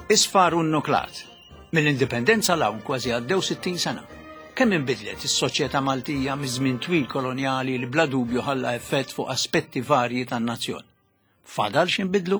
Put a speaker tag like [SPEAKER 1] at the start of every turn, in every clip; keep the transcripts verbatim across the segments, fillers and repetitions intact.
[SPEAKER 1] Isfar u nnuklat. Mill-indipendenza 'l hawn kważi għaddew sittin sena. Kemm inbidlet is-soċjetà Maltija miż-żmien twil kolonjali li bla dubju ħalla effett fuq aspetti varji tan-nazzjon. Fadal x'inbidlu?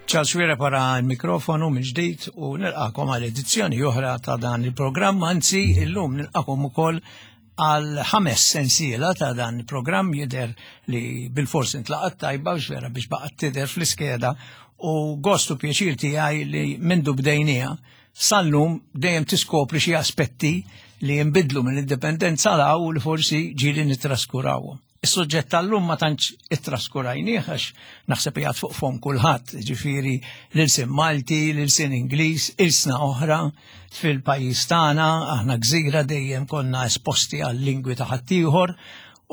[SPEAKER 1] Charles Xuereb wara l-mikrofonu minn ġdid u nilqakom għal edizzjoni oħra ta' dan il-programm, anzi illum nilqakom ukoll għal ħames sensiela ta' dan il-programm. Jidher li bil-fors intlaqat tajba u vera biex baqgħet tidher fl-iskeda, u gostu pjaċir tiegħi li mindu bdejnija sal-lum dejjem tiskopri xi aspetti li jinbidlu mill-indipendenza 'l hawn u li forsi ġieli nitraskurawhom. Is-suġġett tal-lum ma tantx ittraskurajnieh għax naħseb qiegħed fuq fom kulħadd, ġifieri l-ilsien Malti, l-ilsien Ingliż, ilsna oħra fil-pajjiż tagħna, aħna gżira dejjem konna esposti għal lingwi ta' ħaddieħor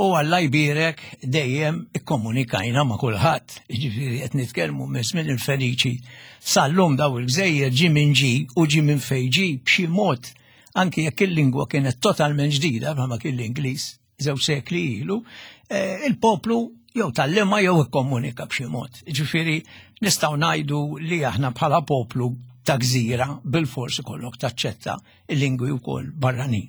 [SPEAKER 1] u Alla jbierek dejjem ikkomunikajna ma' kulħadd. Ġifieri qed nitkellmu minn żmien il-Feniċi sal-lum daw il-gżejjer ġi minn ġi u ġi minn fejn ġi b'xi mod, anki jekk il-lingwa kienet totalment ġdida bħalma kien l-Ingliż żewġ sekli ilu, eh, il-poplu jew tgħallimha jew ikkomunika b'xi mod. Ġifieri nistgħu ngħidu li aħna bħala poplu ta' gżira bil-fors ikollok taċċetta il-lingwi wkoll barranin.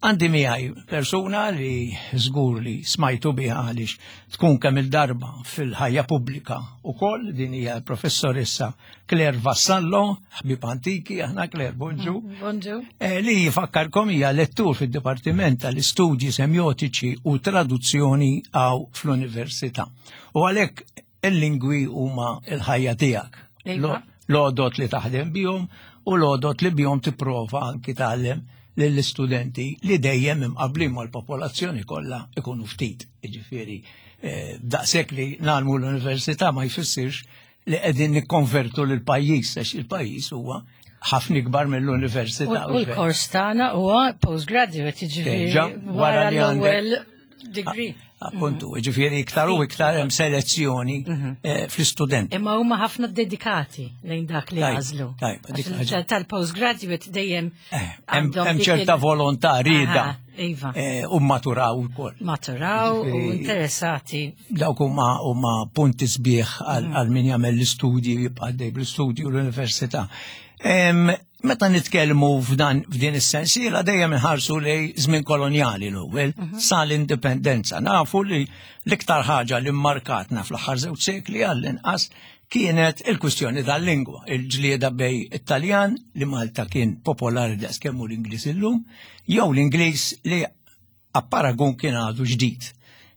[SPEAKER 1] Għandi miegħi persuna li żgur li smajtu biha għaliex tkun kemm il-darba fil-ħajja pubblika ukoll, din hija l-professoressa Claire Vassallo, ħbib antiki, aħna Claire, bonġu.
[SPEAKER 2] Bonġu.
[SPEAKER 1] Eh, li jifakkarkom hija lettur fid-Dipartiment tal-Istudji Semjotiċi u Traduzzjoni għaw fl-Università. U għalhekk il-lingwi huma l-ħajja tiegħek.
[SPEAKER 2] Iva.
[SPEAKER 1] L-għodot li taħdem bihom u l-għodot li bihom tipprova anki tgħallem lill-istudenti li dejjem imqablin mal-popolazzjoni kollha ikunu ftit. Jiġifieri, eh, daqshekk li nagħmlu l-università ma jfissirx li qegħdin nikkonvertu lil pajjiż għax il-pajjiż huwa ħafna ikbar mill-università.
[SPEAKER 2] U l-kors tagħna huwa postgraduate, jiġifieri
[SPEAKER 1] Deġa,
[SPEAKER 2] wara
[SPEAKER 1] wara li għandek
[SPEAKER 2] l-ewwel degree.
[SPEAKER 1] Appuntu, ġifieri iktar u iktar hemm selezzjoni eh, fl-istudent.
[SPEAKER 2] Imma huma ħafna dedikati lejn dak li
[SPEAKER 1] Tajb,
[SPEAKER 2] għażlu.
[SPEAKER 1] tajb, dik
[SPEAKER 2] Għax
[SPEAKER 1] ħaġa.
[SPEAKER 2] Tal-postgraduate dejjem
[SPEAKER 1] Eh, Hemm
[SPEAKER 2] għandhom
[SPEAKER 1] hemm
[SPEAKER 2] dik
[SPEAKER 1] ċerta
[SPEAKER 2] il-
[SPEAKER 1] volontà rieda
[SPEAKER 2] Aha, Iva.
[SPEAKER 1] eh, u maturaw ukoll.
[SPEAKER 2] Maturaw u
[SPEAKER 1] Ġifieri-
[SPEAKER 2] interessati.
[SPEAKER 1] Dawk huma huma punti sbieħ għal għal min jagħmel l-istudji jibqa' għaddej bl-istudji u l-università. Em, Meta nitkellmu f'dan f'din is-sensiela dejjem inħarsu lej żmien kolonjali l-ewwel sal-indipendenza. Nafu li l-iktar ħaġa li mmarkatna fl-aħħar żewġ sekli għall-inqas kienet il-kwistjoni tal-lingwa, il-ġlieda bej it-Taljan li Malta kien popolari daqs kemm hu l-Ingliż illum, jew l-Ingliż li apparagun kien għadu ġdid.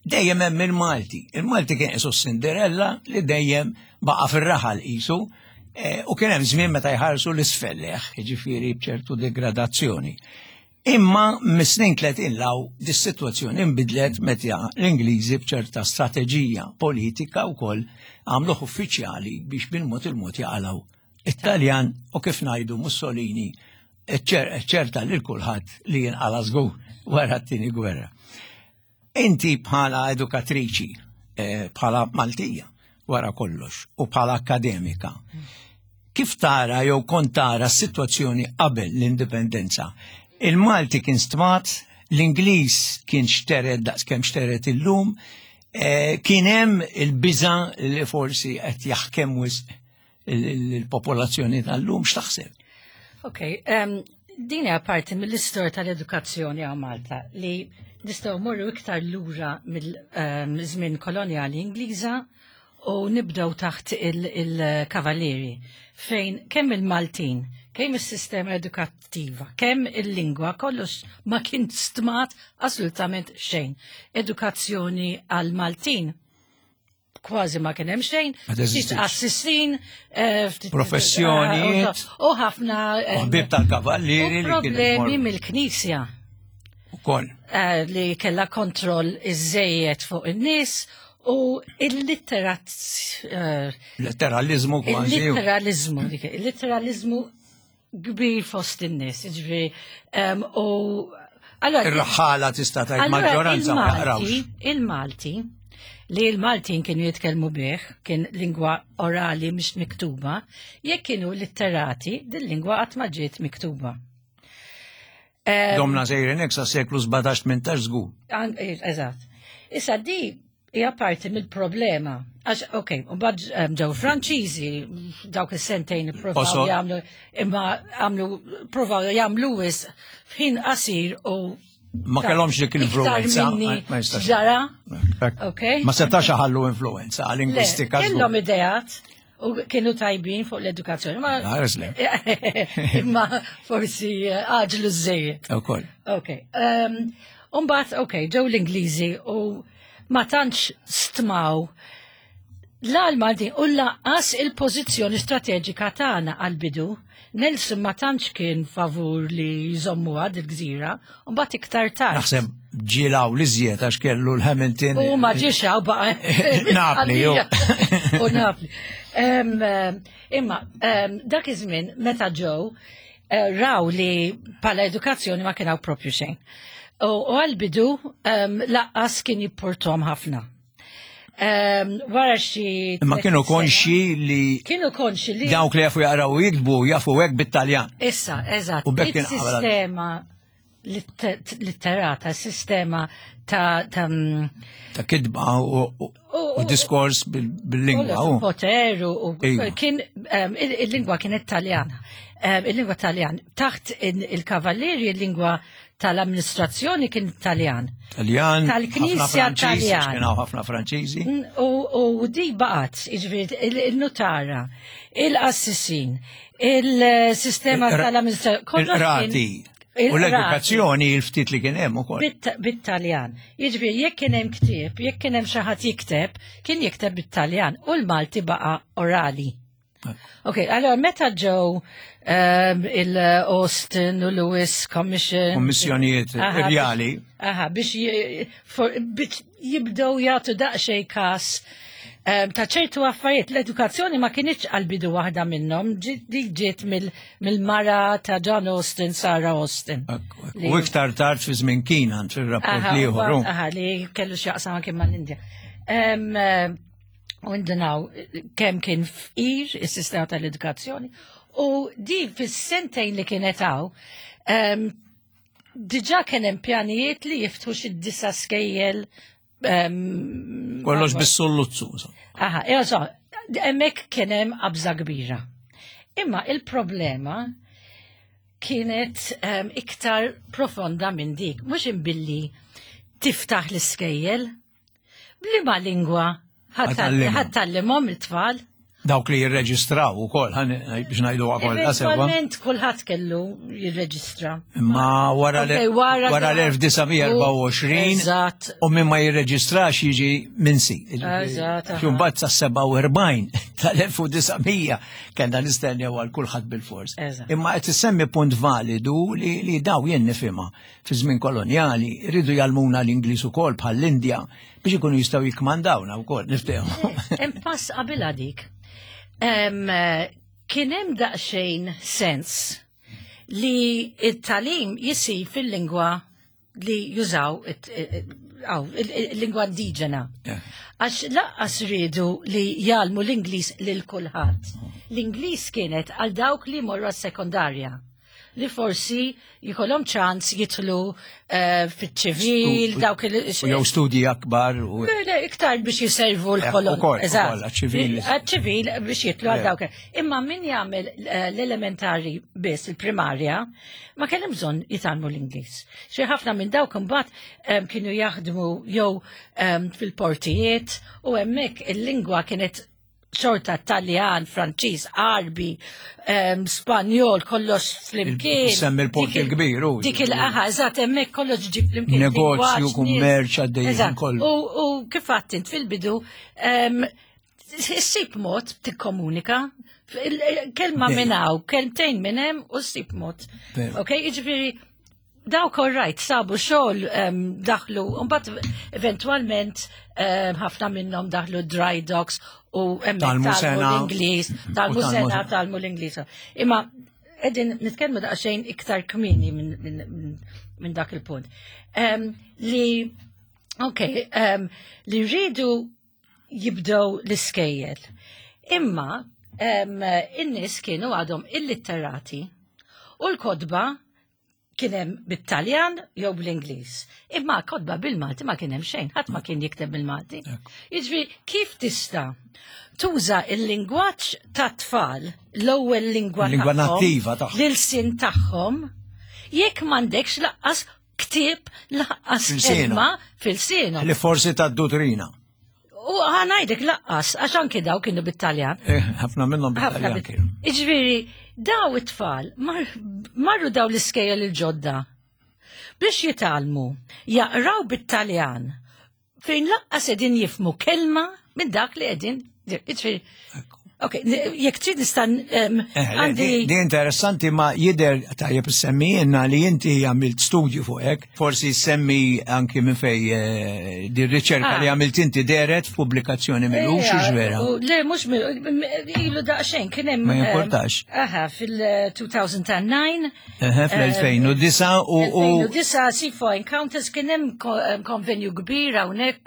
[SPEAKER 1] Dejjem hemm il-Malti. Il-Malti kien qisu Cinderella li dejjem baqa' fir-raħal qisu, eh, u kien hemm żmien meta jħarsu l-isfelleħ, jiġifieri b'ċertu degradazzjoni. Imma mis-snin tletin 'l hawn dis-sitwazzjoni inbidlet meta l-Ingliżi b'ċerta strateġija politika wkoll għamluh uffiċjali biex bil-mod il-mod jaqalgħu it-Taljan u kif ngħidu Mussolini ċerta lil kulħadd li jinqala żgur wara t-tieni gwerra. Inti bħala edukatriċi, eh, bħala Maltija wara kollox u bħala akademika, kif tara jew kont tara s-sitwazzjoni qabel l-indipendenza? Il-Malti kien stmat, l-Ingliż kien xtered daqs kemm xtered illum, eh, kien hemm il-biża' li forsi qed jaħkem wisq il-popolazzjoni tal-lum, x'taħseb?
[SPEAKER 2] Ok, um, din hija parti mill-istorja tal-edukazzjoni għal Malta li nistgħu morru iktar lura mill-żmien kolonjali Ingliża u nibdew taħt il-kavallieri fejn kemm il-Maltin, kemm is-sistema edukattiva, kemm il-lingwa, kollox ma kien stmat assolutament xejn. Edukazzjoni għal-Maltin kważi ma kien hemm xejn,
[SPEAKER 1] Ma teżistix.
[SPEAKER 2] ftit qassisin, eh, ftit-
[SPEAKER 1] Professjonijiet.
[SPEAKER 2] u ħafna eh,
[SPEAKER 1] U ħbieb tal-kavallieri
[SPEAKER 2] u
[SPEAKER 1] li kienu
[SPEAKER 2] problemi
[SPEAKER 1] jmorru.
[SPEAKER 2] mill-Knisja
[SPEAKER 1] Ukoll.
[SPEAKER 2] eh, li kella kontroll iżejjed fuq in-nies u il-litterat eh,
[SPEAKER 1] Letteralizmu kważi.
[SPEAKER 2] il-litteralizmu, dik, il-litteralizmu kbir fost in-nies, jiġifieri, em, u allora
[SPEAKER 1] Ir-raħħala tista' tgħid
[SPEAKER 2] allura
[SPEAKER 1] maġġoranza ma
[SPEAKER 2] il-Malti-
[SPEAKER 1] jaqrawx.
[SPEAKER 2] Il-Malti li l-Maltin kienu jitkellmu bih, kien lingwa orali mhix miktuba, jekk kienu litterati, din lingwa qatt ma ġiet miktuba.
[SPEAKER 1] Domna sejrin hekk sa seklu sbatax tmintax żgur.
[SPEAKER 2] An- eh, Eżatt. Issa di hija parti mill-problema. Għax, ok, u bad ġew Franċiżi dawk is-sentejn ippruvaw
[SPEAKER 1] Oso.
[SPEAKER 2] jagħmlu, imma għamlu, provaw jagħmlu wis f'ħin qasir u
[SPEAKER 1] Ma kellhomx dik
[SPEAKER 2] iktar
[SPEAKER 1] l-influenza.
[SPEAKER 2] minni
[SPEAKER 1] ma- ma jistax.
[SPEAKER 2] ġara.
[SPEAKER 1] Hekk.
[SPEAKER 2] Ok.
[SPEAKER 1] Ma setax ħallu influenza
[SPEAKER 2] Le,
[SPEAKER 1] lingwistika. żgur.
[SPEAKER 2] kellhom ideat u kienu tajbin fuq l-edukazzjoni. Ma
[SPEAKER 1] Ħares le.
[SPEAKER 2] imma forsi eh, għaġlu żejjed.
[SPEAKER 1] Ukoll.
[SPEAKER 2] Ok. Um, Umbat, ok, ġew l-Ingliżi u ma tantx stmaw la l-Maltin u lanqas il-pożizzjoni strateġika tagħna għal-bidu. Nelson ma tantx kien favur li jżommuha dil-gżira, u mbagħad iktar tard.
[SPEAKER 1] Naħseb ġilaw li żjed għax kellu l-Hamilton.
[SPEAKER 2] U ma ġiex hawn baqa.
[SPEAKER 1] Napli, ju.
[SPEAKER 2] U Napli. Em, em, Imma, em, dak iż-żmien meta ġew eh, raw li pala edukazzjoni ma kien hawn propju xejn. U u għal-bidu em, lanqas kien jipportom ħafna. Em, Wara xi
[SPEAKER 1] Imma kienu
[SPEAKER 2] tletin sena-
[SPEAKER 1] konxi li
[SPEAKER 2] Kienu konxi li
[SPEAKER 1] dawk li jafu jaqraw u jiktbu jafu hekk bit-Taljan.
[SPEAKER 2] Issa, eżatt.
[SPEAKER 1] U bekk kien qabel-
[SPEAKER 2] Il-sistema litte- litterata, sistema ta' ta' mm,
[SPEAKER 1] Ta' kitba u, u, u diskors bil- bil-lingwa.
[SPEAKER 2] Kollox
[SPEAKER 1] u.
[SPEAKER 2] poter u u-
[SPEAKER 1] Iva.
[SPEAKER 2] kien em, il- il-lingwa kienet Taljana. Em, Il-lingwa Taljan. Taħt il- il-kavallieri il-lingwa tal-amministrazzjoni kien Taljan.
[SPEAKER 1] Taljan,
[SPEAKER 2] Tal-Knisja
[SPEAKER 1] ħafna Franċiżi,
[SPEAKER 2] Taljan.
[SPEAKER 1] għax kien hawn ħafna Franċiżi.
[SPEAKER 2] Mm, U, u di baqat, jiġifieri, il- il-nutara, il-qassisin, il-sistema
[SPEAKER 1] Il-qra-
[SPEAKER 2] tal-amministrazzjoni.
[SPEAKER 1] Il-qrati. U l-edukazzjoni il-ftit li kien hemm ukoll.
[SPEAKER 2] Bit- Bit-Taljan. Jiġifieri, jekk kien hemm ktieb, jekk kien hemm xi ħadd jikteb, kien jikteb bit-Taljan u l-Malti baqa' orali. Ok, allora meta ġew um, il-Austin u Lewis Commission.
[SPEAKER 1] Kommissjonijiet
[SPEAKER 2] Aha,
[SPEAKER 1] rjali.
[SPEAKER 2] Aha, biex ji- for- biex jibdew jagħtu daqsxejn kas um, ta' ċertu affarijiet. L-edukazzjoni ma kinitx għal-bidu waħda minnhom, ġi- dik ġiet mill- mill-mara ta' John Austin, Sarah Austin. Li-
[SPEAKER 1] U iktar tard fi żmien Keenan fir-rapport
[SPEAKER 2] Aha,
[SPEAKER 1] l-ieħor.
[SPEAKER 2] u- aha, li kellu x'jaqsam anke mal-Indja. Em, eh, U ndunaw kemm kien fqir is-sistema tal-edukazzjoni u di fis-sentejn li kienet hawn em, diġà kien hemm pjanijiet li jiftħu xi disa' skejjel em,
[SPEAKER 1] Kollox bis-solluzzu. insomma.
[SPEAKER 2] Aha, so, hemmhekk kien hemm qabża kbira. Imma il-problema kienet um, iktar profonda minn dik, mhux imbilli tiftaħ l-iskejjel, bliema lingwa
[SPEAKER 1] Ħa tgħallimhom.
[SPEAKER 2] ħa tgħallimhom it-tfal.
[SPEAKER 1] Dawk li jirreġistraw ukoll, ħan- biex ngħidu wkoll sewwa.
[SPEAKER 2] Eventualment kulħadd kellu jirreġistra.
[SPEAKER 1] Imma wara
[SPEAKER 2] Ok, wara
[SPEAKER 1] wara l-elf disa' mija erbgħa u għoxrin
[SPEAKER 2] Eżatt.
[SPEAKER 1] u min ma jirreġistrax jiġi minsi.
[SPEAKER 2] Eżatt, aha.
[SPEAKER 1] Mbagħad sa sebgħa u erbgħin tal-elf disa' mija kellna nistennew għal kulħadd bil-fors.
[SPEAKER 2] Eżatt.
[SPEAKER 1] Imma qed issemmi punt validu li, li daw jien nifhimha fi żmien kolonjali rridu jgħallmuna l-Ingliż ukoll bħall-Indja biex ikunu jistgħu jikkmandawna wkoll niftehmu.
[SPEAKER 2] Hemm pass qabilha dik. Em, eh, Kien hemm daqsxejn sens li it-tagħlim jisir fil-lingwa li jużaw it- it- aw, il- il-lingwa indiġena.
[SPEAKER 1] Yeah.
[SPEAKER 2] Għax lanqas riedu li jgħallmu l-Ingliż lil kulħadd. L-Ingliż kienet għal dawk li morru għas-sekondarja li forsi jkollhom ċans jidħlu eh, fiċ-ċivil,
[SPEAKER 1] Stu-
[SPEAKER 2] dawk il-
[SPEAKER 1] U jew studji akbar u
[SPEAKER 2] Le, le, iktar biex jiservu
[SPEAKER 1] Eh,
[SPEAKER 2] l-kolon.
[SPEAKER 1] ukoll, ukoll, għaċ-ċivil.
[SPEAKER 2] Għaċ-ċivil biex jidħlu għal
[SPEAKER 1] Le.
[SPEAKER 2] dawk. Imma min jagħmel eh, l-elementari biss, il-primarja, ma kellhom bżonn jitgħallmu l-Ingliż. Xi ħafna minn dawk imbagħad em, kienu jaħdmu jew em, fil-portijiet u hemmhekk il-lingwa kienet xorta Taljan, Franċiż, Arbi, em, Spanjol, kollox flimkien.
[SPEAKER 1] Semmi l-port
[SPEAKER 2] Dik il-
[SPEAKER 1] il-kbir, u-
[SPEAKER 2] Dik il-aha, eżatt, hemmhekk kollox ġi flimkien.
[SPEAKER 1] Negozju,
[SPEAKER 2] lingwaġġ, nies.
[SPEAKER 1] kummerċ għaddejjin
[SPEAKER 2] Eżatt.
[SPEAKER 1] kollu.
[SPEAKER 2] U, u kif għedt int fil-bidu, em, ssib mod tikkomunika, il- kelma
[SPEAKER 1] Dejjem.
[SPEAKER 2] minn hawn, kelmtejn minn hemm u ssib mod.
[SPEAKER 1] Veru.
[SPEAKER 2] Ok, jiġifieri dawk all right, sabu xogħol em, daħlu, mbagħad eventwalment em, ħafna minnhom daħlu dry docks u hemmhekk
[SPEAKER 1] Tgħallmu
[SPEAKER 2] tgħallmu
[SPEAKER 1] sena.
[SPEAKER 2] l-Ingliż, tgħallmu
[SPEAKER 1] U tgħallmu
[SPEAKER 2] sena,
[SPEAKER 1] sena.
[SPEAKER 2] tgħallmu l-Ingliż. Imma qegħdin nitkellmu daqsxejn iktar kmieni minn min, min, min dak il-punt. Em, li Ok, um, li rridu jibdew l-iskejjel. Imma em, in-nies kienu għadhom illitterati u l-kotba kien hemm bit-Taljan jew bl-Ingliż. Imma kotba bil-Malti ma kien hemm xejn, ħadd ma kien jikteb bil-Malti. Jiġifieri kif tista' tuża il-lingwaġġ tat-tfal, l-ewwel lingwa
[SPEAKER 1] Lingwa
[SPEAKER 2] tagħhom,
[SPEAKER 1] nattiva tagħhom.
[SPEAKER 2] L-ilsien tagħhom, jekk m'għandekx lanqas ktieb lanqas
[SPEAKER 1] F'ilsienhom.
[SPEAKER 2] kelma f'ilsienhom.
[SPEAKER 1] Li forsi ta' dottrina.
[SPEAKER 2] U ħa ngħidlek lanqas, għax anki daw kienu bit-Taljan.
[SPEAKER 1] Eh, ħafna minnhom
[SPEAKER 2] Ħafna
[SPEAKER 1] bit-Taljan
[SPEAKER 2] bit-
[SPEAKER 1] kienu.
[SPEAKER 2] Iġifieri, daw it-tfal mar- marru daw l-iskejjel il-ġodda biex jitgħallmu, jaqraw bit-Taljan fejn lanqas qegħdin jifhmu kelma minn dak li qegħdin. Iġifieri, ok, jekk trid nista' em,
[SPEAKER 1] Eh, le,
[SPEAKER 2] għandi.
[SPEAKER 1] Di di interessanti ma jidher tajjeb semmi jenna li inti għamilt studju fuq hekk. Forsi semmi anki minn fej eh, di riċerka
[SPEAKER 2] Ah.
[SPEAKER 1] li għamilt inti dehret f'pubblikazzjoni mill-ux
[SPEAKER 2] Ejja,
[SPEAKER 1] vera.
[SPEAKER 2] u Le, mhux ilu daqsxejn, kien hemm.
[SPEAKER 1] Ma jimportax.
[SPEAKER 2] Aha, fil-elfejn u disa'.
[SPEAKER 1] Eħe, fl-elfejn u disa' u u
[SPEAKER 2] elfejn u disa' C four Encounters kien hemm ko- em, konvenju kbir hawnhekk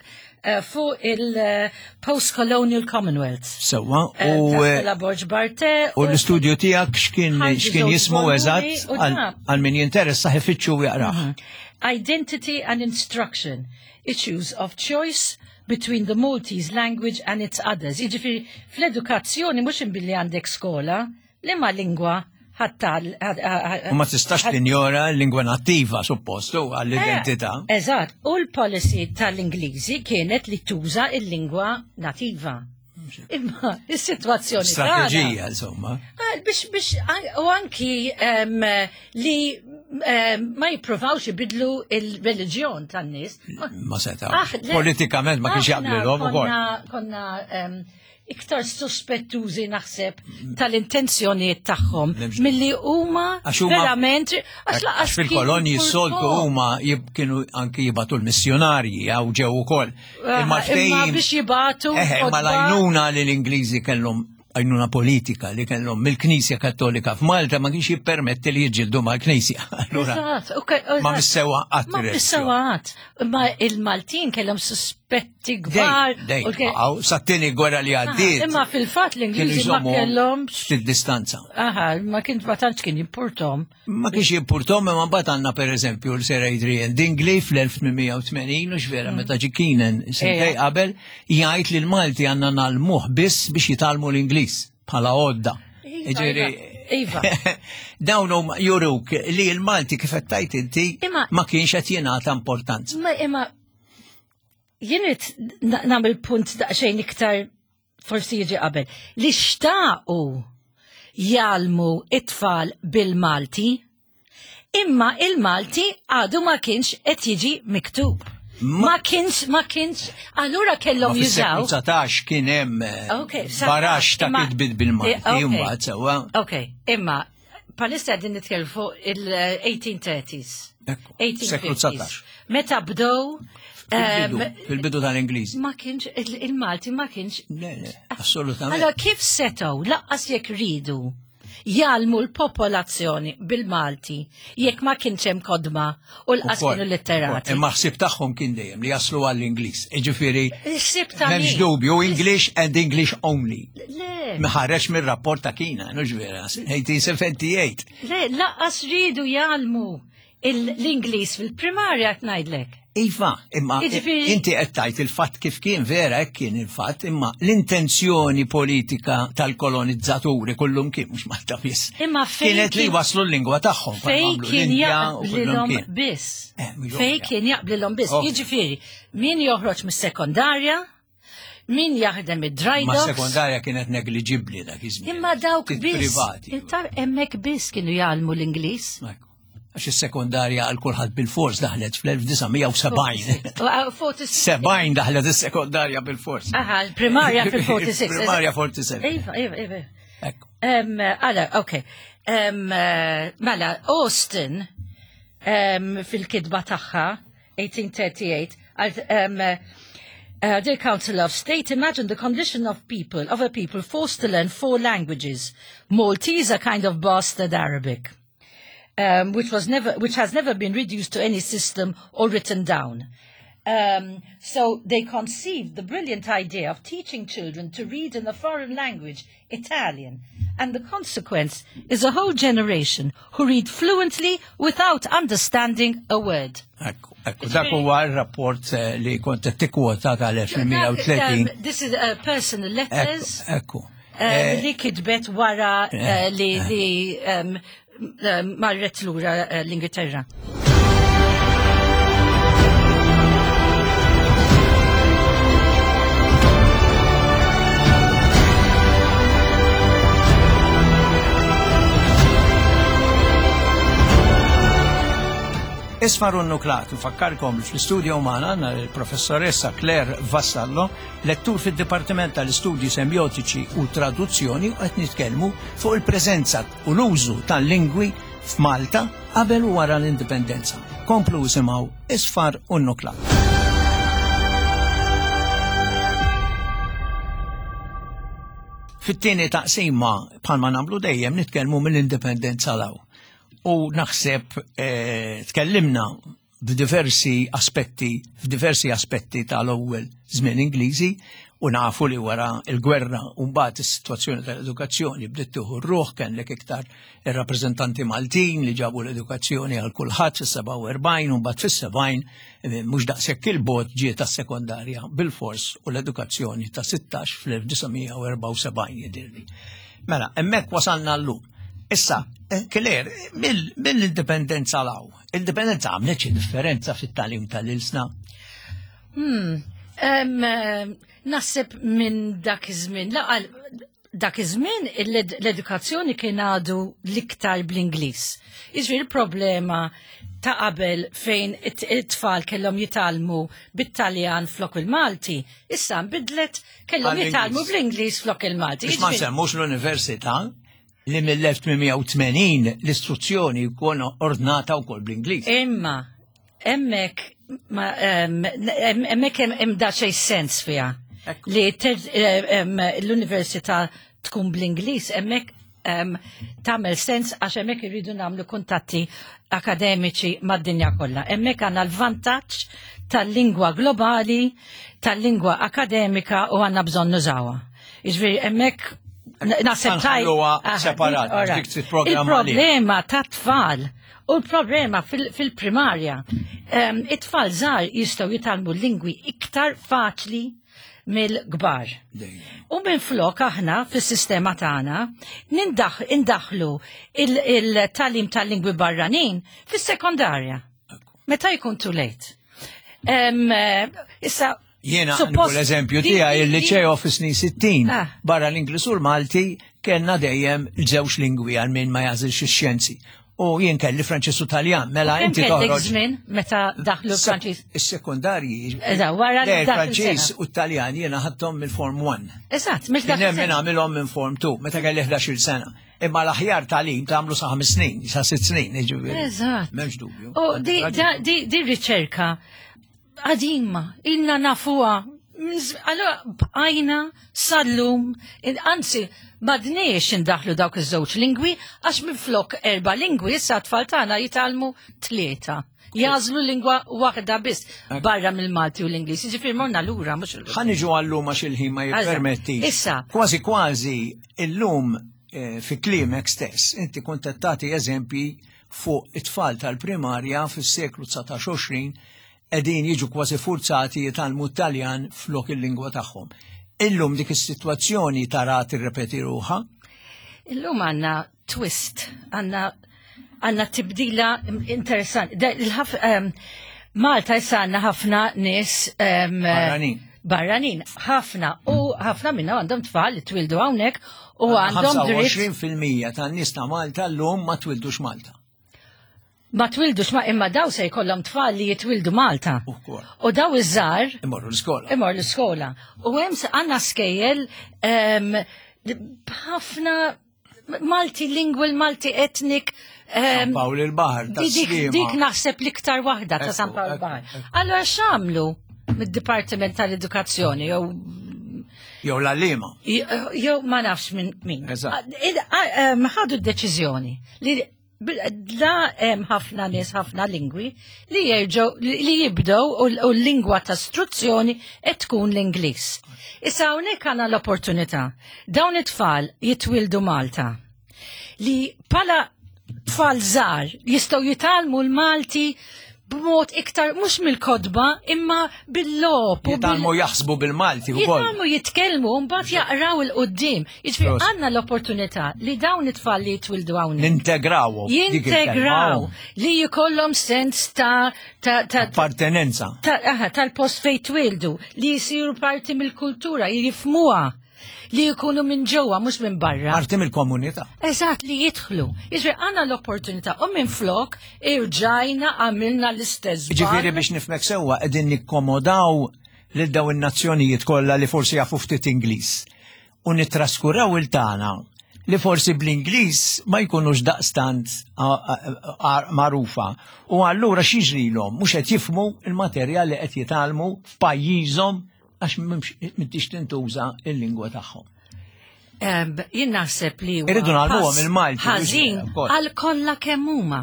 [SPEAKER 2] eh, fuq il-Post-Colonial Commonwealth.
[SPEAKER 1] Sewwa
[SPEAKER 2] Eh,
[SPEAKER 1] u
[SPEAKER 2] ta'
[SPEAKER 1] eh,
[SPEAKER 2] Stella Borg Barthe.
[SPEAKER 1] u l-istudju tiegħek x'kien
[SPEAKER 2] Ħarġu
[SPEAKER 1] x'kien
[SPEAKER 2] żewġ
[SPEAKER 1] jismu
[SPEAKER 2] volumi
[SPEAKER 1] eżatt
[SPEAKER 2] u
[SPEAKER 1] għal
[SPEAKER 2] da.
[SPEAKER 1] għal min jinteressa ifittxu u jaqrah.
[SPEAKER 2] Identity and Instruction, Issues of Choice between the Maltese Language and its Others. Jiġifieri, fl-edukazzjoni mhux imbilli għandek skola, li ma lingwa ħattal.
[SPEAKER 1] U ma tistax tinjora l-lingwa nattiva suppost u għall-identità.
[SPEAKER 2] Eh, Eżatt, u l-policy tal-Ingliżi kienet li tuża il-lingwa nativa. Imma is-sitwazzjoni tagħna-
[SPEAKER 1] Strateġija, insomma.
[SPEAKER 2] Ah, Biex, biex, u anki em, li em, ma jippruvawx ibidlu il-reliġjon tan-nies.
[SPEAKER 1] Ma setaw.
[SPEAKER 2] Ah, le-
[SPEAKER 1] Politikament ma kienx
[SPEAKER 2] Aħna
[SPEAKER 1] jaqblilhom ukoll.
[SPEAKER 2] Konna, konna em, iktar suspettużi naħseb tal-intenzjonijiet tagħhom
[SPEAKER 1] Nemx-
[SPEAKER 2] milli huma
[SPEAKER 1] Għax huma-
[SPEAKER 2] verament għax lanqas
[SPEAKER 1] Għax fil-kolonji
[SPEAKER 2] kienu
[SPEAKER 1] s-soltu
[SPEAKER 2] purpo.
[SPEAKER 1] huma jib- kienu anki jibagħtu l-missjonarji għaw ġew ukoll.
[SPEAKER 2] Ah,
[SPEAKER 1] Imma
[SPEAKER 2] Imma
[SPEAKER 1] ftehim-
[SPEAKER 2] biex jibagħtu
[SPEAKER 1] Eħe, imma
[SPEAKER 2] kotba-
[SPEAKER 1] l-għajnuna li l-Ingliżi kellhom għajnuna politika li kellhom mill-Knisja Kattolika f'Malta ma kienx jippermetti li jiġġieldu mal-Knisja. Allura
[SPEAKER 2] Eżatt, ok,
[SPEAKER 1] ma
[SPEAKER 2] eżatt.
[SPEAKER 1] missewa qatt
[SPEAKER 2] Ma missewa qatt. Ma il-Maltin kellhom suspetti kbar.
[SPEAKER 1] Dej,
[SPEAKER 2] u ke-
[SPEAKER 1] għaw, sat-tieni gwerra li għaddiet.
[SPEAKER 2] Imma fil-fatt
[SPEAKER 1] kienu
[SPEAKER 2] l-Ingliżi ma
[SPEAKER 1] jżommu
[SPEAKER 2] kellhomx.
[SPEAKER 1] ftit distanza.
[SPEAKER 2] Aha, ma kien ma tantx kien jimpurtom.
[SPEAKER 1] Ma kienx jimpurtom, imma mbagħad għandna pereżempju l-Sir Adrian Dingley fl-elf tmien mija u tmenin u x'vera meta ġie Keenan sentej
[SPEAKER 2] Ejja.
[SPEAKER 1] qabel jgħid li l-Malti għandna ngħallmuh biss biex jitgħallmu l-Ingliż bħala għodda.
[SPEAKER 2] Iva,
[SPEAKER 1] Jiġifieri,
[SPEAKER 2] Iva.
[SPEAKER 1] Dawn huma juruk li l-Malti kif qed tgħid inti
[SPEAKER 2] Imma-
[SPEAKER 1] ma kienx qed jingħata importanza.
[SPEAKER 2] Ma imma jien irrid nagħmel punt daqsxejn iktar forsi jiġi qabel. Li xtaqu jgħallmu it-tfal bil-Malti, imma il-Malti għadu ma kienx qed jiġi miktub. Ma kienx, ma kienx, allura kellhom
[SPEAKER 1] Ma
[SPEAKER 2] jużaw.
[SPEAKER 1] fis-seklu dsatax kien hemm eh,
[SPEAKER 2] Ok,
[SPEAKER 1] barax ta'
[SPEAKER 2] imma-
[SPEAKER 1] kitbit bil-Malti,
[SPEAKER 2] Eh, ok.
[SPEAKER 1] imbagħad sewwa.
[SPEAKER 2] Ok, imma palissa qegħdin nitkellmu fuq il-eighteen thirties.
[SPEAKER 1] Ekku, seklu
[SPEAKER 2] eighteen fifties.
[SPEAKER 1] dsatax.
[SPEAKER 2] Meta bdew
[SPEAKER 1] Fil-bidu,
[SPEAKER 2] em,
[SPEAKER 1] fil-bidu tal-Ingliżi.
[SPEAKER 2] ma kienx il- il-Malti ma kienx.
[SPEAKER 1] Le, le, assolutament.
[SPEAKER 2] Allora kif setgħu lanqas jekk ridu jgħallmu l-popolazzjoni bil-Malti jekk ma kienx hemm kotba u lanqas
[SPEAKER 1] Ukoll,
[SPEAKER 2] kienu litterati?
[SPEAKER 1] ukoll. Imma ħsib tagħhom kien dejjem li jaslu għall-Ingliż. Jiġifieri
[SPEAKER 2] Il-ħsieb ta'
[SPEAKER 1] m'hemmx
[SPEAKER 2] min?
[SPEAKER 1] dubju English and English only.
[SPEAKER 2] Le,
[SPEAKER 1] Ħareġ mir-rapport ta' Keenan, mhux vera, eighteen seventy-eight.
[SPEAKER 2] Le, lanqas ridu jgħallmu il- l-Ingliż fil-primarja qed ngħidlek.
[SPEAKER 1] Iva, imma
[SPEAKER 2] Jiġifieri-
[SPEAKER 1] inti qed tgħid il-fatt kif kien vera hekk kien il-fatt, imma l-intenzjoni politika tal-kolonizzaturi kullum kien mhux Malta biss.
[SPEAKER 2] Imma fejn
[SPEAKER 1] Kienet li
[SPEAKER 2] kien-
[SPEAKER 1] waslu l-lingwa tagħhom.
[SPEAKER 2] Fej
[SPEAKER 1] bħalma għamlu
[SPEAKER 2] kien
[SPEAKER 1] l-Indja u kullum
[SPEAKER 2] jaqblilhom
[SPEAKER 1] kien.
[SPEAKER 2] biss.
[SPEAKER 1] Eh, mhux
[SPEAKER 2] Fej
[SPEAKER 1] ovvja.
[SPEAKER 2] kien jaqblilhom biss.
[SPEAKER 1] Ok.
[SPEAKER 2] Jiġifieri, min joħroġ mis-sekondarja, min jaħdem id-dry
[SPEAKER 1] Ma
[SPEAKER 2] docks.
[SPEAKER 1] sekondarja kienet negliġibbli dak iż-żmien.
[SPEAKER 2] Imma dawk
[SPEAKER 1] Ftit
[SPEAKER 2] biss.
[SPEAKER 1] Privati.
[SPEAKER 2] Intar hemmhekk biss kienu jgħallmu l-Ingliż.
[SPEAKER 1] Ekku. Għax is-sekondarja għal kulħadd bil-fors daħlet fl-elf disa' mija u sebgħin.
[SPEAKER 2] forty-six.
[SPEAKER 1] Sebgħin daħlet is-sekondarja bil-fors.
[SPEAKER 2] Aha, l-primarja fil-forty-six.
[SPEAKER 1] Primarja forty-seven.
[SPEAKER 2] Iva, iva, iva.
[SPEAKER 1] Ekku.
[SPEAKER 2] Um, Għala, ok. Um, eh, mela, Austin, um, fil-kitba tagħha, eighteen thirty-eight, għal, um, uh, "Dear Council of State, imagine the condition of people, of a people forced to learn four languages. Maltese, a kind of bastard Arabic, um, which was never, which has never been reduced to any system or written down." Um, so they conceived the brilliant idea of teaching children to read in a foreign language, Italian. And the consequence is a whole generation who read fluently without understanding a word.
[SPEAKER 1] Ekku, ekku, dak huwa r-rapport eh, li kont qed tikkwota tal-elf tmien mija u tletin.
[SPEAKER 2] Um, this is uh, personal letters.
[SPEAKER 1] Ekku.
[SPEAKER 2] uh, li kitbet wara uh, li, li um, um, marret lura uh, l-Ingilterra.
[SPEAKER 1] Isfar u Nuklat, nfakkarkom li fl-studio magħna għandna il-professoressa Claire Vassallo, lettur fid-Dipartiment tal-Istudji Semiotiċi u Traduzzjoni, u qed nitkellmu fuq il-preżenza u l-użu tal-lingwi f'Malta qabel u wara l-indipendenza. Komplu isimgħu Isfar u Nuklat. Fit-tieni taqsima, bħalma nagħmlu dejjem, nitkellmu mill-indipendenza 'l hawn. U naħseb eh, tkellimna b'diversi aspetti, f'diversi aspetti tal-ewwel żmien Ingliżi, u nafu li wara il-gwerra u mbagħad is-sitwazzjoni tal-edukazzjoni bdiet tieħu r-ruħ, kellek iktar ir-rappreżentanti Maltin li ġabu l-edukazzjoni għal kulħadd fis-sebgħa u erbgħin, u mbagħad fis-sebgħin, eh, mhux daqshekk il-bogħod, ġiet tas-sekondarja bil-fors u l-edukazzjoni ta' sittax fl-elf disa' mija u erbgħa u sebgħin jidhirli. Mela, hemmhekk wasalna llum. Issa, eh, Claire, mill-indipendenza 'l hawn, l-indipendenza għamlet xi differenza fit-tagħlim tal-ilsna?
[SPEAKER 2] Hmm. Um, naħseb minn dak iż-żmien, laqal dak iż-żmien l-edukazzjoni kien għadu l-iktar bl-Ingliż. Jiġifieri il-problema ta' qabel fejn it-tfal kellhom jitgħallmu bit-Taljan flok il-Malti, issa nbidlet, kellhom jitgħallmu bl-Ingliż flok il-Malti.
[SPEAKER 1] Biex ma nsemmux l-università li mill-elf tmien mija u tmenin l-istruzzjoni jkun ordnata wkoll bl-Ingliż.
[SPEAKER 2] Imma hemmhekk hemmhekk hemm xejn sens fiha. Li l-università tkun bl-Ingliż hemmhekk tagħmel sens, għax hemmhekk irridu nagħmlu kuntatti akademiċi mad-dinja kollha. Hemmhekk għandna l-vantaġġ tal-lingwa globali, tal-lingwa akademika, u għandna bżonn nużawha. Jiġifieri hemmhekk
[SPEAKER 1] naħseb separat.
[SPEAKER 2] Il-problema ta' tfal u l-problema fil-primarja, it-tfal żgħar jistgħu jitgħallmu lingwi iktar faċli mill-kbar. U minn flok aħna fis-sistema tagħna nindaħlu il-tagħlim tal-lingwi barranin fis-sekondarja. Meta jkun too late. Issa
[SPEAKER 1] Jiena l-eżempju tiegħi, il-liċeo fis-snin sittin, ah. barra l-Ingliż u l-Malti kellna dejjem żewġ lingwi għal min ma jagħżilx ix-xjenzi. U jien kelli Franċiż u Taljan, mela inti toħroġ.
[SPEAKER 2] Żmien meta daħlu Franċiż?
[SPEAKER 1] Is-sekondarji.
[SPEAKER 2] Eżatt, wara
[SPEAKER 1] li Franċiż u Taljan jiena ħadthom mill-Form one.
[SPEAKER 2] Eżatt,
[SPEAKER 1] mill Kien hemm għamilhom minn Form two meta kelli ħdax-il sena. Imma l-aħjar tagħlim tagħmlu sa ħames snin, sa sitt snin, jiġifieri.
[SPEAKER 2] Eżatt.
[SPEAKER 1] M'hemmx dubju.
[SPEAKER 2] U di riċerka qadima, ilna nafuha. Allora, bqajna sal-lum, anzi, m'għadniex indaħlu dawk iż-żewġ lingwi, għax minflok erba' lingwi, issa tfal tagħna jitgħallmu tlieta. Jagħżlu lingwa waħda biss barra mill-Malti u l-Ingliż. Jiġifieri morna lura, mhux il
[SPEAKER 1] Ħa niġu għal-lum għax il-ħin ma jippermetti.
[SPEAKER 2] Issa.
[SPEAKER 1] Kważi kważi illum, eh, fi kliemek stess, inti kont qed tagħti eżempji fuq it-tfal tal-primarja fis-seklu dsatax-għoxrin qegħdin jiġu kważi forzati jitgħallmu Taljan flok il-lingwa tagħhom. Illum dik is-sitwazzjoni tara tirrepeti ruħha?
[SPEAKER 2] Illum għandna twist, għandna għandna tibdila interessanti. Ehm, Malta issa għandna ħafna nies ehm,
[SPEAKER 1] barranin.
[SPEAKER 2] Barranin, ħafna, u ħafna minna għandhom tfal li twildu hawnhekk u għandhom
[SPEAKER 1] dritt. ħamsa u għoxrin fil-mija tan-nies ta' Malta llum ma twildux Malta.
[SPEAKER 2] Ma twildux, ma imma daw se jkollhom tfal li jitwildu Malta. U daw iż-żgħar
[SPEAKER 1] imorru l-iskola.
[SPEAKER 2] Imorru l-iskola. U hemm għandna skejjel ħafna multilingual, multi-ethnic.
[SPEAKER 1] San Pawl il-Baħar.
[SPEAKER 2] Dik naħseb l-iktar waħda ta' San Pawl il-Baħar. Allora x'għamlu mid-Dipartiment tal-Edukazzjoni jew
[SPEAKER 1] Jew l-għalliema.
[SPEAKER 2] Jew ma nafx minn min. Ħadu d-deċiżjoni li Bil- La hemm ħafna nies, ħafna lingwi li jerġgħu li jibdew u u l-lingwa ta' istruzzjoni qed tkun l-Ingliż. Issa hawnhekk għandna l-opportunità. Dawn it-tfal jitwildu Malta li bħala tfal żgħar jistgħu jitgħallmu l-Malti b'mod iktar mhux mill-kotba imma bil-logħob u bil-
[SPEAKER 1] Jitgħallmu jaħsbu bil-Malti wkoll.
[SPEAKER 2] Jitgħallmu jitkellmu u mbagħad jaqraw 'il quddiem. Jiġifieri
[SPEAKER 1] Prost.
[SPEAKER 2] għandna l-opportunità li dawn it-tfal li jitwildu hawnhekk.
[SPEAKER 1] Nintegrawhom. Dik il-kelma.
[SPEAKER 2] Jintegraw li jkollhom sens ta' ta' ta'
[SPEAKER 1] Appartenenza.
[SPEAKER 2] ta' aha, tal-post fejn twildu, li jisiru parti mill-kultura, jifhmuha, li jkunu minn ġewwa mhux minn barra.
[SPEAKER 1] Parti mill-komunità.
[SPEAKER 2] Eżatt, li jidħlu. Jiġifieri għandna l-opportunità u minn flok irġajna għamilna l-istess.
[SPEAKER 1] Ġifieri
[SPEAKER 2] żball.
[SPEAKER 1] biex nifhmek sewwa, qegħdin nikkomodaw lil daw in-nazzjonijiet kollha li forsi jafu ftit Ingliż. U nittraskuraw il-tagħna li forsi bl-Ingliż ma jkunux daqstant a- a- a- magħrufa. U allura x'jiġrilhom? Mhux qed jifhmu il-materjal li qed jitgħallmu f'pajjiżhom għax m'hemmx m'intix tintuża il-lingwa tagħhom.
[SPEAKER 2] Em, Jien naħseb li huwa
[SPEAKER 1] Irridu ngħallmuhom
[SPEAKER 2] pass
[SPEAKER 1] il-Malti,
[SPEAKER 2] ħażin
[SPEAKER 1] mhux ukoll.
[SPEAKER 2] għal kollha kemm huma.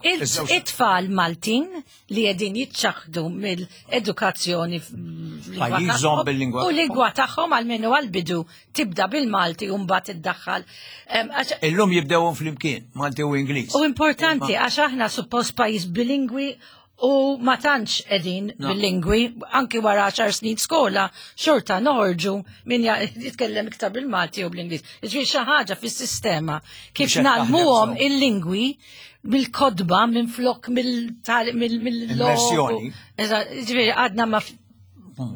[SPEAKER 2] Il-
[SPEAKER 1] Iż-żewġ-
[SPEAKER 2] It-tfal Maltin li qegħdin jiċċaħdu mill-edukazzjoni f'lingwa
[SPEAKER 1] Pajjiżhom
[SPEAKER 2] tagħhom
[SPEAKER 1] bil-lingwa
[SPEAKER 2] u lingwa tagħhom, għalmenu għal-bidu tibda bil-Malti u mbagħad iddaħħal. Em, għax-
[SPEAKER 1] Illum jibdewhom flimkien, Malti u Ingliż.
[SPEAKER 2] U importanti għax aħna suppost pajjiż bilingwi u ma tantx qegħdin
[SPEAKER 1] No.
[SPEAKER 2] bil-lingwi, anki wara għaxar snin skola, xorta noħorġu min ja- jitkellem iktar bil-Malti u bl-Ingliż. Ġifieri xi ħaġa fis-sistema kif
[SPEAKER 1] Mhux qed taħdem
[SPEAKER 2] ngħallmuhom
[SPEAKER 1] sew.
[SPEAKER 2] il-lingwi mill-kotba minn flok mill-mill
[SPEAKER 1] Immersjoni.
[SPEAKER 2] Ġifieri għadna ma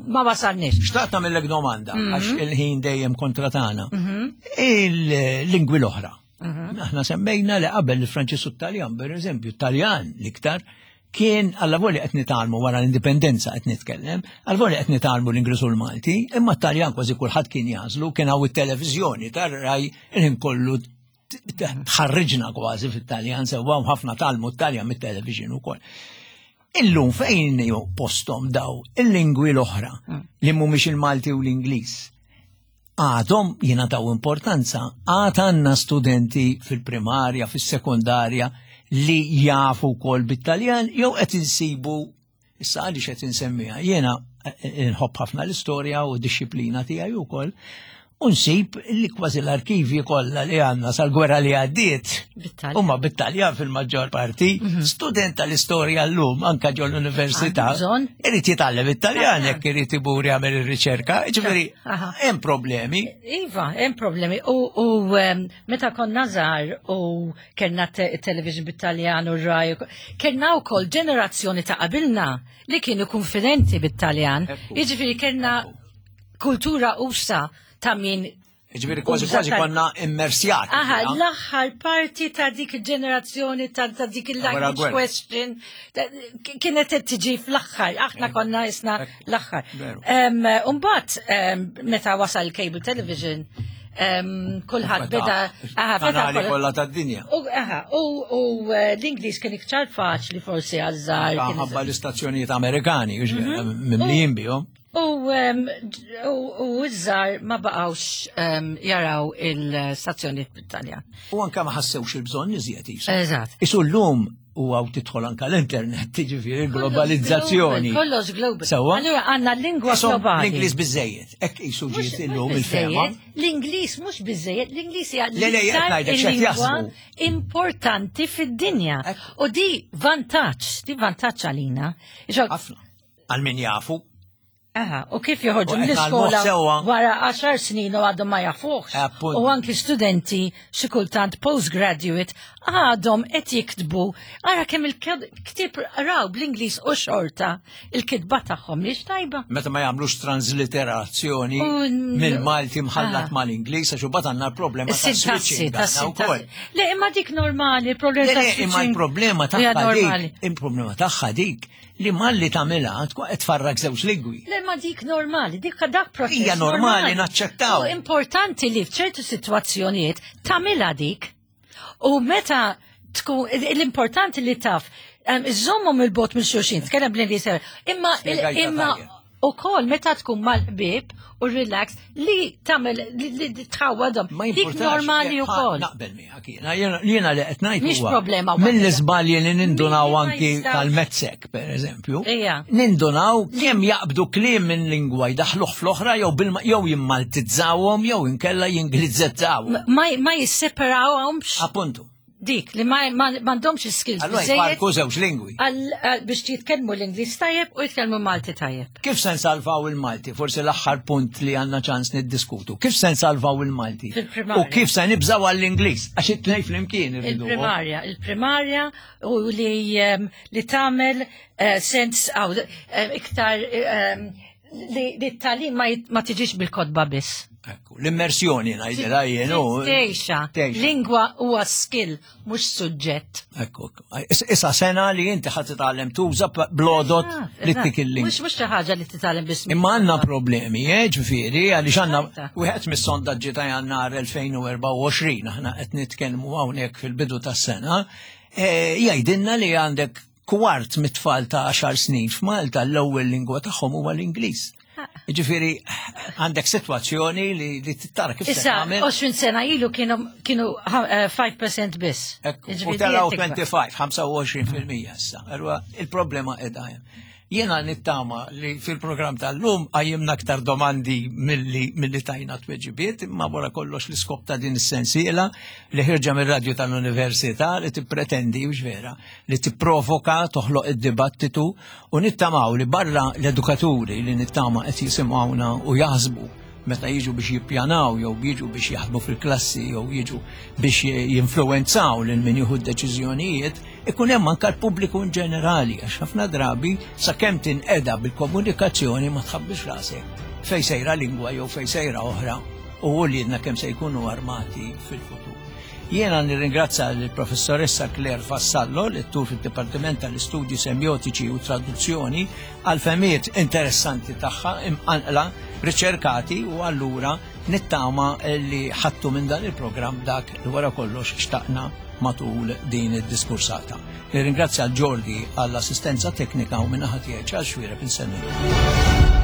[SPEAKER 2] ma wasalniex.
[SPEAKER 1] Xtaqt nagħmellek domanda, għax il-ħin dejjem kontra tagħna. Il-lingwi l-oħra. Aħna semmejna li qabel il-Franċis u t-Taljan, per eżempju, Taljan l-iktar, kien għalla qed nitgħallmu wara l-indipendenza qed nitkellem, għalla qed nitgħallmu l-Ingliż u l-Malti, imma t-Taljan kważi kulħadd kien jagħżlu, kien hawn it-televiżjoni tar-Rai il-ħin kollu t- t- tħarriġna kważi fit-Taljan, sewwa u ħafna tgħallmu t-Taljan mit-television ukoll. Illum fejn ju postom daw il-lingwi l-oħra li mhumiex il-Malti u l-Ingliż? Għadhom jingħataw importanza, għad għandna studenti fil-primarja, fil-sekundarja li jafu kol bit-Taljan, jew qed insibu, issa għaliex qed insemmiha, jiena eh, nħobb ħafna l-istorja u d-disciplina tiegħi wkoll, u nsib li kważi l-arkivi kollha li għandna sal-gwerra li għaddiet
[SPEAKER 2] Bit-Taljan.
[SPEAKER 1] huma bit-Taljan fil-maġġor parti, student tal-istorja llum anka ġol l-università,
[SPEAKER 2] Għandu bżonn.
[SPEAKER 1] irid jitgħallem it-Taljan jekk irid imur jagħmel ir-riċerka, ġifieri
[SPEAKER 2] Aha.
[SPEAKER 1] hemm problemi.
[SPEAKER 2] Iva, hemm problemi. U, u em, meta konna żgħar u kellna te television bit-Taljan u Rai, kellna wkoll ġenerazzjoni ta' qabilna li kienu konfidenti bit-Taljan.
[SPEAKER 1] Ekku.
[SPEAKER 2] Jiġifieri kellna kultura usa ta' min
[SPEAKER 1] Ġifieri kważi
[SPEAKER 2] uża
[SPEAKER 1] kważi
[SPEAKER 2] tal-
[SPEAKER 1] konna immersjati.
[SPEAKER 2] Aha,
[SPEAKER 1] fiha.
[SPEAKER 2] l-aħħar parti ta' dik il-ġenerazzjoni ta' ta' dik
[SPEAKER 1] Wara
[SPEAKER 2] il-language
[SPEAKER 1] gwerra.
[SPEAKER 2] question ta' kienet qed tiġi fl-aħħar, aħna konna isna
[SPEAKER 1] Ekku.
[SPEAKER 2] l-aħħar.
[SPEAKER 1] Veru.
[SPEAKER 2] Em, Umbagħad em, meta wasal il-cable television, em, kulħadd beda aha, feta
[SPEAKER 1] Kanali
[SPEAKER 2] kollha-
[SPEAKER 1] kollha tad-dinja.
[SPEAKER 2] U aha, u u, eh, l-Ingliż kien iktar faċli forsi għaż-żgħar. kien
[SPEAKER 1] Ħabba l-istazzjonijiet Amerikani, mimlijin bihom.
[SPEAKER 2] U em, u u iż-żgħar ma baqgħux em, jaraw il-stazzjoni bit-Taljan.
[SPEAKER 1] U anka ma ħassewx il-bżonn iżjed jisu.
[SPEAKER 2] Eżatt.
[SPEAKER 1] Isu llum u għaw tidħol anka l-internet, ġifieri globalizzazzjoni.
[SPEAKER 2] Kollox global.
[SPEAKER 1] Sewwa?
[SPEAKER 2] Allura għandna lingwa
[SPEAKER 1] Isom
[SPEAKER 2] globali.
[SPEAKER 1] l-Ingliż biżejjed, hekk isu
[SPEAKER 2] Mhux-
[SPEAKER 1] ġiet
[SPEAKER 2] mhux
[SPEAKER 1] illum il-fema.
[SPEAKER 2] biżejjed, L-Ingliż mhux biżejjed, l-Ingliż hija
[SPEAKER 1] Le, le, qed
[SPEAKER 2] l-iktar
[SPEAKER 1] ngħidlek x'qed
[SPEAKER 2] il-lingwa
[SPEAKER 1] jaħsbu.
[SPEAKER 2] importanti fid-dinja.
[SPEAKER 1] Ekku.
[SPEAKER 2] U di vantaġġ, di vantaġġ għalina. Iġo-
[SPEAKER 1] Ħafna. Għal min jafu.
[SPEAKER 2] Aha, u kif joħorġu
[SPEAKER 1] U qed
[SPEAKER 2] mill-iskola
[SPEAKER 1] ngħallmuh sewwa.
[SPEAKER 2] wara għaxar snin u għadhom ma jafuhx.
[SPEAKER 1] Appunt.
[SPEAKER 2] U anki studenti xi kultant postgraduate għadhom qed jiktbu. Ara kemm il-ktieb raw bl-Ingliż u xorta il-kitba tagħhom mhix tajba.
[SPEAKER 1] Meta ma jagħmlux transliterazzjoni
[SPEAKER 2] U-
[SPEAKER 1] mill-Malti mħallat
[SPEAKER 2] Ah.
[SPEAKER 1] mal-Ingliż, għax imbagħad għandna l-problema ta'
[SPEAKER 2] Sintassi,
[SPEAKER 1] switching
[SPEAKER 2] ta'
[SPEAKER 1] għandna wkoll.
[SPEAKER 2] sintassi. Le, imma dik normali, il-problema
[SPEAKER 1] Le,
[SPEAKER 2] ta'
[SPEAKER 1] le, imma
[SPEAKER 2] switching
[SPEAKER 1] l-problema
[SPEAKER 2] hija
[SPEAKER 1] tagħha
[SPEAKER 2] normali.
[SPEAKER 1] dik, il-problema tagħha dik li malli tagħmilha tkun qed tfarrak żewġ lingwi.
[SPEAKER 2] Le, ma dik normali, dik dak proċess.
[SPEAKER 1] Hija normali, naċċettaw.
[SPEAKER 2] U importanti li f'ċertu sitwazzjonijiet tagħmilha dik. U meta tkun l-importanti li taf, em, iżommhom il-bogħod minn xulxin, tkellem bl-Ingliż, imma
[SPEAKER 1] Spjegajta
[SPEAKER 2] imma
[SPEAKER 1] tajjeb.
[SPEAKER 2] Ukoll meta tkun mal-ħbieb u relax li tagħmel li li tħawwadhom.
[SPEAKER 1] Ma
[SPEAKER 2] Dik
[SPEAKER 1] jimpurtax,
[SPEAKER 2] normali
[SPEAKER 1] jekk-
[SPEAKER 2] ukoll.
[SPEAKER 1] Naqbel miegħek jiena. Jiena jiena li qed ngħid
[SPEAKER 2] Mhix
[SPEAKER 1] huwa
[SPEAKER 2] problema waħda.
[SPEAKER 1] mill-iżbalji li nindunaw
[SPEAKER 2] Min ma
[SPEAKER 1] anki
[SPEAKER 2] jistgħux-
[SPEAKER 1] tal-Metsek, per eżempju.
[SPEAKER 2] Ija.
[SPEAKER 1] Nindunaw kemm jaqbdu kliem minn lingwa jdaħluh fl-oħra jew bilma jew jimmaltizzawhom jew inkella jinglizzettawhom.
[SPEAKER 2] Ma ma jisseparawhomx
[SPEAKER 1] Appuntu.
[SPEAKER 2] dik li ma ma- m'għandhomx skills
[SPEAKER 1] Allura
[SPEAKER 2] biżejjed
[SPEAKER 1] jfarku żewġ lingwi.
[SPEAKER 2] għal- għal- biex jitkellmu l-Ingliż tajjeb u jitkellmu Malti tajjeb.
[SPEAKER 1] Kif se nsalvaw il-Malti? Forsi l-aħħar punt li għandna ċans niddiskutu. Kif se nsalvaw il-Malti?
[SPEAKER 2] Fil-primarja.
[SPEAKER 1] U kif se nibżaw għall-Ingliż? Għax it-tnejn flimkien irridu.
[SPEAKER 2] Il-primarja, il-primarja u li um, li tagħmel uh, sens aw eh, iktar um, li li t-tagħlim ma, jit- ma tiġix bil-kotba biss.
[SPEAKER 1] Ekku, l-immersjoni ngħidilha jien. u-
[SPEAKER 2] Tgħixha.
[SPEAKER 1] Tgħixha.
[SPEAKER 2] Lingwa huwa skill, mhux suġġett.
[SPEAKER 1] Ekku, ekku. Is- Issa sena li inti ħadd titgħallem tuża blodot li
[SPEAKER 2] Eżatt.
[SPEAKER 1] tik il-lingwa.
[SPEAKER 2] Mhux mhux xi ħaġa li titgħallem biss.
[SPEAKER 1] Imma għandna problemi, eh, ġifieri, għaliex għandna
[SPEAKER 2] Eżatt.
[SPEAKER 1] wieħed mis-sondaġġi ta' Jannar elfejn u erbgħa u għoxrin, aħna qed nitkellmu hawnhekk fil-bidu tas-sena, eh, jgħidilna li għandek kwart mit-tfal ta' għaxar snin f'Malta l-ewwel lingwa tagħhom huwa l-Ingliż. Ġifieri, għandek sitwazzjoni li, li tittara kif se
[SPEAKER 2] Issa,
[SPEAKER 1] tagħmel.
[SPEAKER 2] għoxrin sena ilu kienu kienu eh, five percent biss.
[SPEAKER 1] Ekku, u
[SPEAKER 2] Jiġifieri
[SPEAKER 1] telaw
[SPEAKER 2] tikber.
[SPEAKER 1] twenty-five, ħamsa u għoxrin fil-mija issa. Allura, il-problema qiegħda hemm. Jiena nittama li fil-programm tal-lum qajjimna aktar domandi milli milli tajna tweġibiet, imma wara kollox l-iskop ta' din is-sensiela li ħirġa mir-radju tal-Università li tippretendi u vera li tipprovoka, toħloq id-dibattitu u nittamaw li barra l-edukaturi li nittama qed jisimgħuna u jaħsbu meta jiġu biex jippjanaw jew jiġu biex jaħdmu fil-klassi jew jiġu biex jinfluwenzaw lil min jieħu d-deċiżjonijiet, ikun hemm anke l-pubbliku in ġenerali, għax ħafna drabi sakemm tinqeda bil-komunikazzjoni ma tħabbix rasek fej sejra lingwa jew fej sejra oħra u uliedna kemm se jkunu armati fil-futur. Jiena nirringrazza l-professoressa Claire Vassallo, lettur fil-Dipartiment tal-Istudji Semiotiċi u Traduzzjoni, għal fehmiet interessanti tagħha imqanqla, riċerkati, u allura nittama li ħattu minn dan il-programm dak li wara kollox xtaqna matul din id-diskursata. Nirringrazzja l Jordi għall-assistenza teknika u min-naħa tiegħi għal Xuereb insellimkom.